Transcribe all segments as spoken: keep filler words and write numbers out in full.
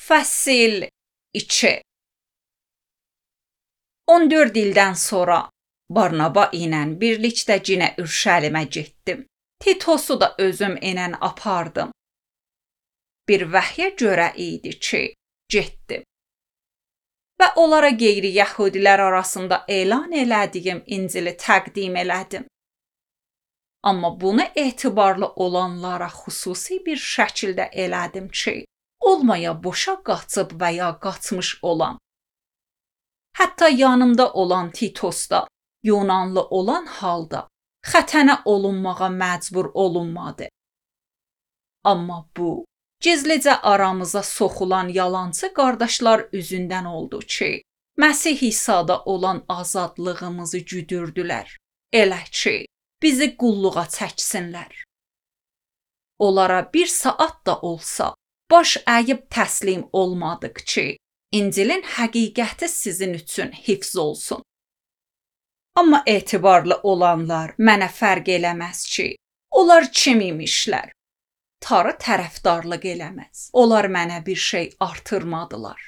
Fəsil iki. on dörd ildən sonra Barnaba ilə birlikdə cinə Ürşəlimə getdim. Titosu da özüm ilə apardım. Bir vəhyə görə idi ki, getdim. Və onlara qeyri-yəhudilər arasında elan elədiyim İncili təqdim elədim. Amma bunu etibarlı olanlara xüsusi bir şəkildə elədim ki, olmaya boşa qaçıb və ya qaçmış olan. Hətta yanımda olan Titos da Yunanlı olan halda xətənə olunmağa məcbur olunmadı. Amma bu, gizlicə aramıza soxulan yalançı qardaşlar üzündən oldu ki, Məsih İsa'da olan azadlığımızı güdürdülər. Elə ki, bizi qulluğa çəksinlər. Onlara bir saat da olsa baş əyib təslim olmadıq ki, İncilin həqiqəti sizin üçün hifz olsun. Amma etibarlı olanlar mənə fərq eləməz ki, onlar kim imişlər? Tarı tərəfdarlıq eləməz. Onlar mənə bir şey artırmadılar.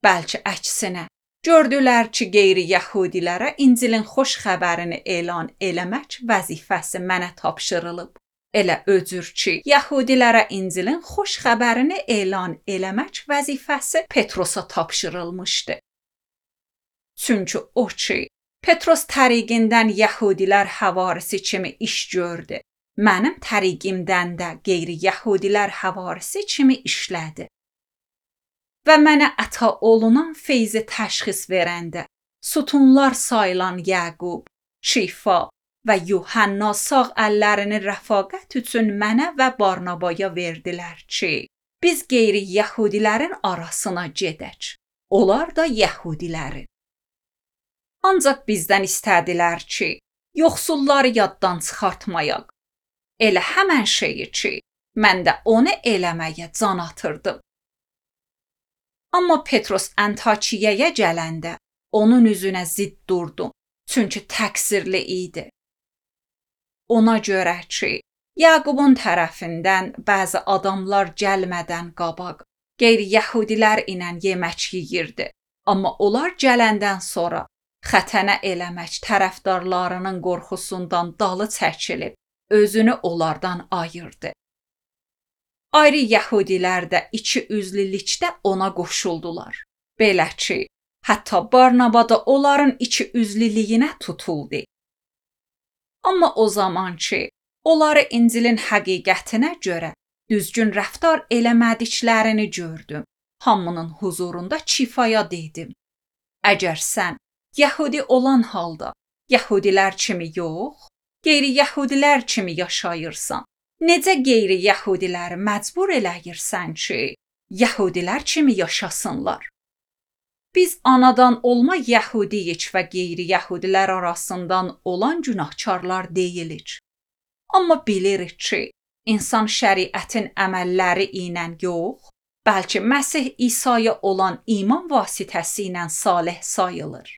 Bəlkə əksinə, gördülər ki, qeyri-yəhudilərə İncilin xoş xəbərini elan eləmək vəzifəsi mənə tapşırılıb. Elə öcür ki, yəhudilərə İncilin xoş xəbərini elan eləmək vəzifəsi Petrosa tapşırılmışdı. Çünki o ki, Petros təriqindən yəhudilər həvarisi kimi iş gördü. Mənim təriqimdən də qeyri-yəhudilər həvarisi kimi işlədi. Və mənə əta olunan feyzi təşxis verəndə, sütunlar sayılan Yəqub, Şifa və Yuhanna sağ əllərini rəfaqət üçün mənə və Barnabaya verdilər ki, biz qeyri-yəhudilərin arasına gedək. Onlar da yəhudilərin. Ancaq bizdən istədilər ki, yoxsulları yaddan çıxartmayaq. Elə həmən şeyi ki, mən də onu eləməyə can atırdım. Amma Petros Antakiyaya gələndə onun üzünə zidd durdum, çünki təqsirli idi. Ona görə ki, Yaqubun tərəfindən bəzi adamlar gəlmədən qabaq qeyri-yəhudilər ilə yemək yeyirdi. Amma onlar gələndən sonra xətənə eləmək tərəfdarlarının qorxusundan dalı çəkilib, özünü onlardan ayırdı. Ayrı yəhudilər də iki üzlülükdə ona qoşuldular. Belə ki, hətta Barnaba da onların iki üzlülüyünə tutuldu. Amma o zaman ki, onları İncilin həqiqətinə görə düzgün rəftar eləmədiklərini gördüm. Hamının huzurunda Çifaya dedim. Əgər sən yəhudi olan halda yəhudilər kimi yox, qeyri-yəhudilər kimi yaşayırsan, necə qeyri-yəhudiləri məcbur eləyirsən ki, yəhudilər kimi yaşasınlar? Biz anadan olma yəhudiyik və qeyri-yəhudilər arasından olan günahkarlar deyilik. Amma bilirik ki, insan şəriətin əməlləri ilə yox, bəlkə Məsih İsa'ya olan iman vasitəsi ilə salih sayılır.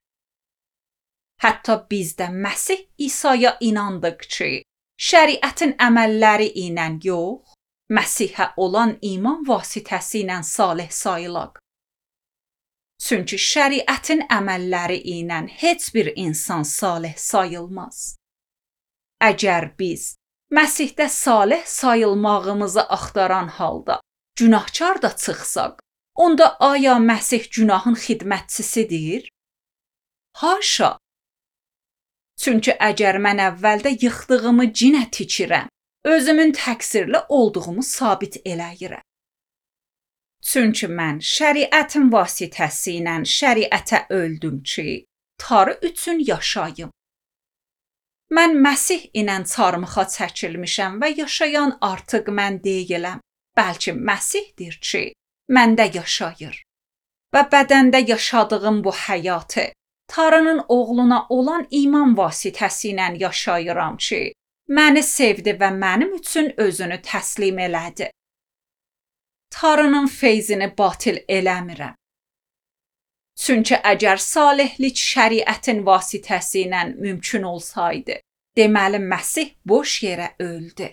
Hətta biz də Məsih İsa'ya inandıq ki, şəriətin əməlləri ilə yox, Məsihə olan iman vasitəsi ilə salih sayılaq. Çünki şəriətin əməlləri ilə heç bir insan salih sayılmaz. Əgər biz Məsihdə salih sayılmağımızı axtaran halda günahkar da çıxsaq, onda aya Məsih günahın xidmətçisidir? Haşa! Çünki əgər mən əvvəldə yıxdığımı cinə tikirəm, özümün təqsirli olduğumu sabit eləyirəm. Çünki mən şəriətin vasitəsi ilə şəriətə öldüm ki, tarı üçün yaşayım. Mən Məsih ilə çarmıxa çəkilmişəm və yaşayan artıq mən deyiləm, bəlkə Məsihdir ki, məndə yaşayır. Və bədəndə yaşadığım bu həyatı Tanrının oğluna olan iman vasitəsi ilə yaşayıram ki, məni sevdi və mənim üçün özünü təslim elədi. Tanrının feyzini batil eləmirəm. Çünki əgər salihlik şəriətin vasitəsi ilə mümkün olsaydı, deməli Məsih boş yerə öldü.